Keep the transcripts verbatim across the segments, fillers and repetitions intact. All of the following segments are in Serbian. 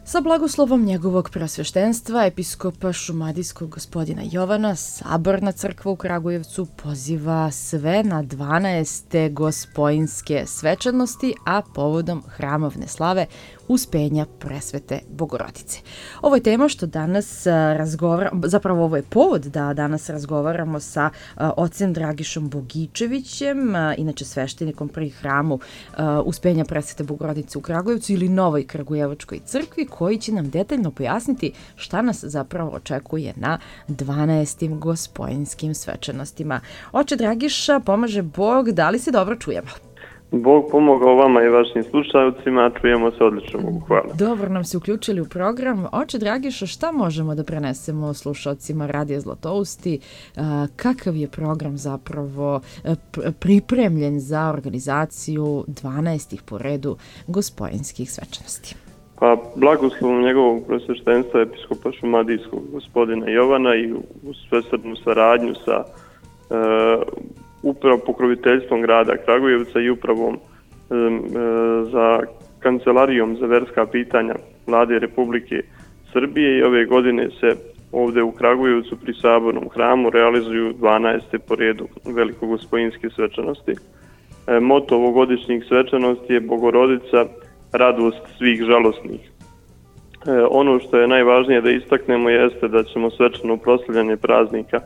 Sa blagoslovom njegovog preosveštenstva, episkopa šumadijskog gospodina Jovana, Saborna crkva u Kragujevcu poziva sve na dvanaeste gospojinske svečanosti, a povodom hramovne slave Uspenja Presvete Bogorodice. Ovo je tema što danas razgovaramo, zapravo ovo je povod da danas razgovaramo sa ocem Dragišom Bogičevićem, inače sveštenikom pri hramu Uspenja Presvete Bogorodice u Kragujevcu ili Novoj Kragujevačkoj crkvi, koji će nam detaljno pojasniti šta nas zapravo očekuje na dvanaestim gospojinskim svečanostima. Oče Dragiša, pomaže Bog, da li se dobro čujemo? Bog pomogao vama i vašim slušalcima, čujemo se odlično, Bogu hvala. Dobro nam se uključili u program. Oče Dragiša, šta možemo da prenesemo slušalcima Radija Zlatousti? Kakav je program zapravo pripremljen za organizaciju dvanaestih po redu gospojinskih svečanosti? Pa, blagoslovom njegovog preosveštenstva episkopa šumadijskog gospodina Jovana i u svesrdnu saradnju sa e, upravo pokroviteljstvom grada Kragujevca i upravom e, za kancelarijom za verska pitanja Vlade Republike Srbije, i ove godine se ovde u Kragujevcu pri Sabornom hramu realizuju dvanaeste po redu velikogospojinske svečanosti. E, moto ovogodišnjih svečanosti je Bogorodica, radost svih žalosnih. E, ono što je najvažnije da istaknemo jeste da ćemo svečano proslavljanje praznika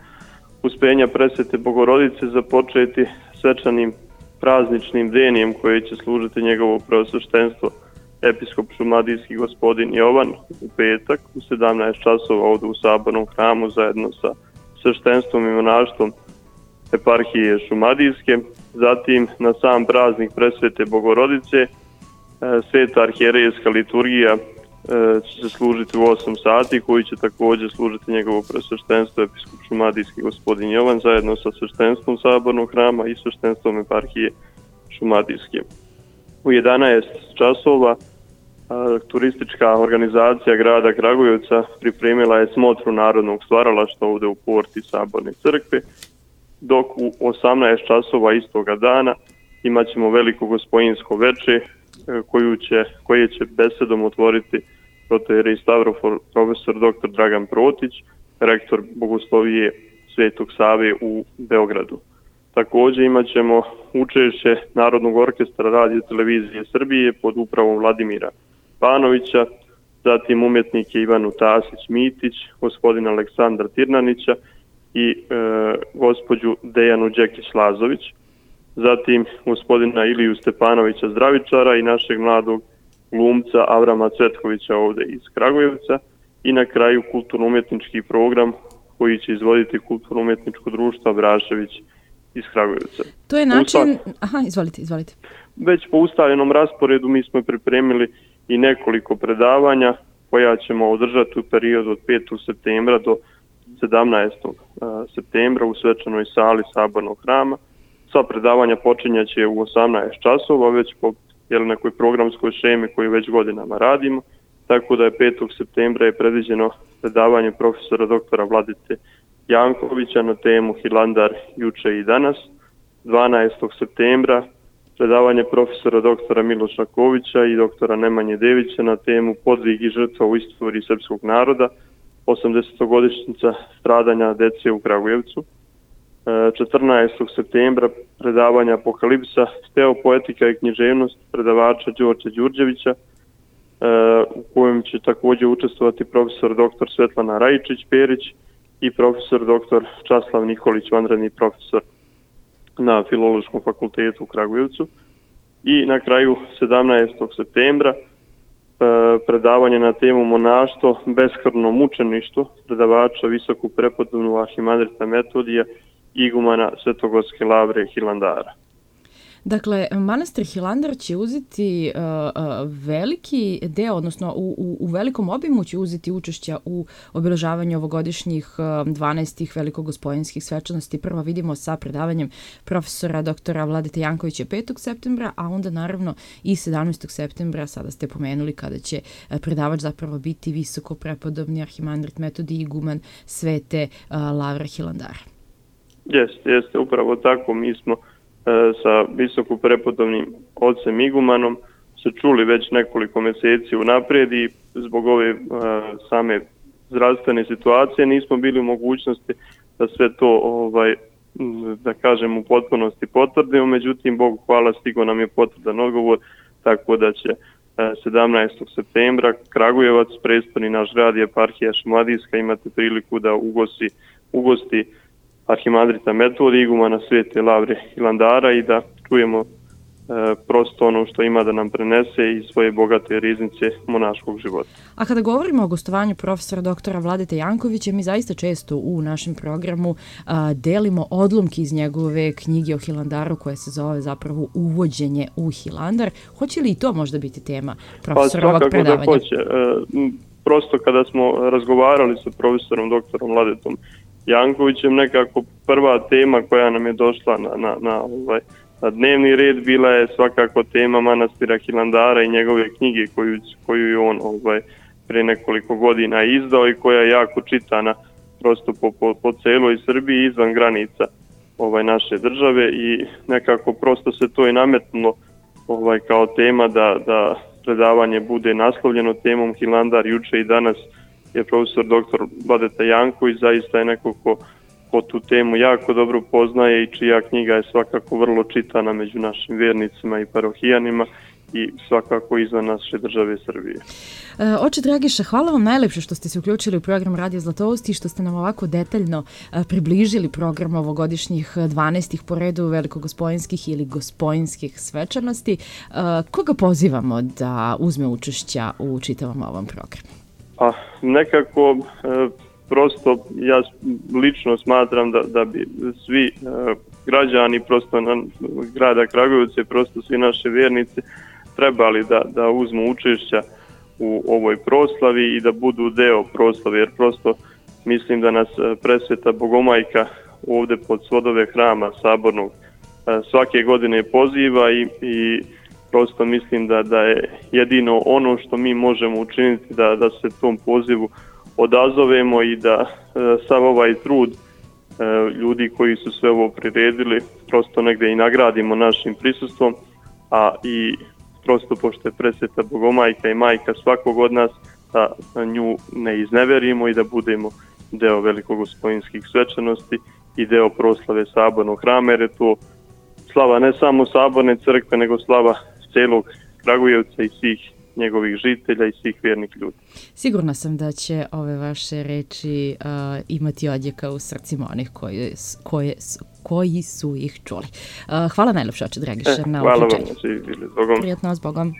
Uspenja Presvete Bogorodice započeti svečanim prazničnim denijem koji će služiti njegovo preosveštenstvo episkop šumadijski gospodin Jovan u petak u sedamnaest časova ovdje u Sabornom hramu zajedno sa sveštenstvom i monaštvom eparhije šumadijske. Zatim na sam praznik Presvete Bogorodice Sveta arhijerejska liturgija će se služiti u osam sati, koji će također služiti njegovo preosveštenstvo episkop šumadijski gospodin Jovan zajedno sa sveštenstvom Sabornog hrama i sveštenstvom eparhije šumadijske. U jedanaest časova turistička organizacija grada Kragujevca pripremila je smotru narodnog stvaralaštva ovdje u porti Saborne crkve, dok u osamnaest časova istoga dana imat ćemo veliko gospojinsko veče koju će, koje će besedom otvoriti protoijerej Stavrofor profesor doktor Dragan Protić, rektor Bogoslovije Svetog Save u Beogradu. Također imat ćemo učešće Narodnog orkestra Radio Televizije Srbije pod upravom Vladimira Panovića, zatim umjetnike Ivanu Tasić-Mitić, gospodina Aleksandra Tirnanića i e, gospođu Dejanu Đekić-Lazović, zatim gospodina Iliju Stepanovića Zdravičara i našeg mladog glumca Avrama Cvetkovića ovdje iz Kragujevca, i na kraju kulturno-umjetnički program koji će izvoditi kulturno-umjetničko društvo Brašević iz Kragujevca. To je način... Aha, izvolite, izvolite. Već po ustaljenom rasporedu mi smo pripremili i nekoliko predavanja koja ćemo održati u periodu od petog septembra do sedamnaestog septembra u svečanoj sali Sabornog hrama. Sva predavanja počinjaće u osamnaest časova, već po jel, nekoj programskoj šemi koju već godinama radimo, tako da je petog septembra je predviđeno predavanje profesora doktora Vladite Jankovića na temu Hilandar juče i danas. dvanaestog septembra predavanje profesora doktora Miloša Kovića i doktora Nemanje Devića na temu Podvig i žrtva u istoriji srpskog naroda, osamdesetogodišnjica stradanja dece u Kragujevcu. četrnaestog septembra predavanja Apokalipsa, teopoetika i književnost predavača Đorđa Đurđevića, u kojem će također učestvovati profesor doktor Svetlana Rajičić-Perić i profesor doktor Časlav Nikolić, vanredni profesor na Filološkom fakultetu u Kragujevcu. I na kraju sedamnaestog septembra predavanje na temu monaštvo, beskrvno mučeništvo predavača visoku prepodobnu arhimandrita Metodija igumana Svetogorske lavre Hilandara. Dakle, manastir Hilandar će uzeti uh, uh, veliki deo, odnosno u, u, u velikom obimu će uzeti učešća u obeležavanju ovogodišnjih uh, dvanaestih velikogospojinskih svečanosti. Prvo vidimo sa predavanjem profesora doktora Vladite Jankovića petog septembra, a onda naravno i sedamnaestog septembra, sada ste pomenuli, kada će uh, predavač zapravo biti visoko prepodobni arhimandrit Metodij iguman Svete uh, Lavre Hilandara. Jeste, jeste, upravo tako. Mi smo sa visoko prepodobnim ocem igumanom se čuli već nekoliko mjeseci unaprijed i zbog ove same zdravstvene situacije nismo bili u mogućnosti da sve to, ovaj, da kažem, u potpunosti potvrdimo, međutim, Bogu hvala, stigo nam je potvrdan odgovor, tako da će sedamnaestog septembra Kragujevac, prestoni naš grad i eparhija Šumadijska, imate priliku da ugosti, ugosti arhimandrita Metodija, igumana Svete Lavre Hilandara i da čujemo E, prosto ono što ima da nam prenese iz svoje bogate riznice monaškog života. A kada govorimo o gostovanju profesora doktora Vladete Jankovića, mi zaista često u našem programu a, delimo odlomke iz njegove knjige o Hilandaru koja se zove zapravo Uvođenje u Hilandar. Hoće li i to možda biti tema profesorovog pa, predavanja? Pa svakako da hoće. E, prosto kada smo razgovarali sa profesorom doktorom Vladetom Jankovićem, nekako prva tema koja nam je došla na, na, na ovaj na dnevni red bila je svakako tema manastira Hilandara i njegove knjige koju, koju je on ovaj, pre nekoliko godina izdao i koja je jako čitana prosto po, po, po celoj Srbiji izvan granica ovaj, naše države i nekako prosto se to je nametnulo ovaj, kao tema da, da predavanje bude naslovljeno temom Hilandar. Juče i danas je profesor doktor Vladeta Janković, zaista je neko ko ko tu temu jako dobro poznaje i čija knjiga je svakako vrlo čitana među našim vjernicima i parohijanima i svakako izvan naše države Srbije. E, oče Dragiša, hvala vam najlepše što ste se uključili u program Radio Zlatousti i što ste nam ovako detaljno e, približili program ovogodišnjih dvanaestih po redu velikogospojinskih ili gospojinskih svečanosti. E, koga pozivamo da uzme učešća u čitavom ovom programu? Pa nekako... E, Prosto ja lično smatram da, da bi svi e, građani prosto na, grada Kragujevca i prosto svi naše vjernici trebali da, da uzmu učešća u ovoj proslavi i da budu deo proslave, jer prosto mislim da nas presveta Bogomajka ovdje pod svodove hrama sabornog e, svake godine poziva i, i prosto mislim da, da je jedino ono što mi možemo učiniti da, da se tom pozivu odazovemo i da e, sav ovaj trud e, ljudi koji su sve ovo priredili prosto negdje i nagradimo našim prisustvom, a i prosto pošto je presveta Bogomajka i majka svakog od nas, da nju ne izneverimo i da budemo deo velikogospojinskih svečanosti i deo proslave sabornog hrama, jer je to slava ne samo saborne crkve, nego slava celog Kragujevca i svih njegovih žitelja i svih vjernih ljudi. Sigurna sam da će ove vaše reči uh, imati odjeka u srcima onih koji, koje, koji su ih čuli. Uh, hvala najlepše, oče Dragiša, e, na uključenju. Hvala vam, bili, zbogom. Prijatno, zbogom.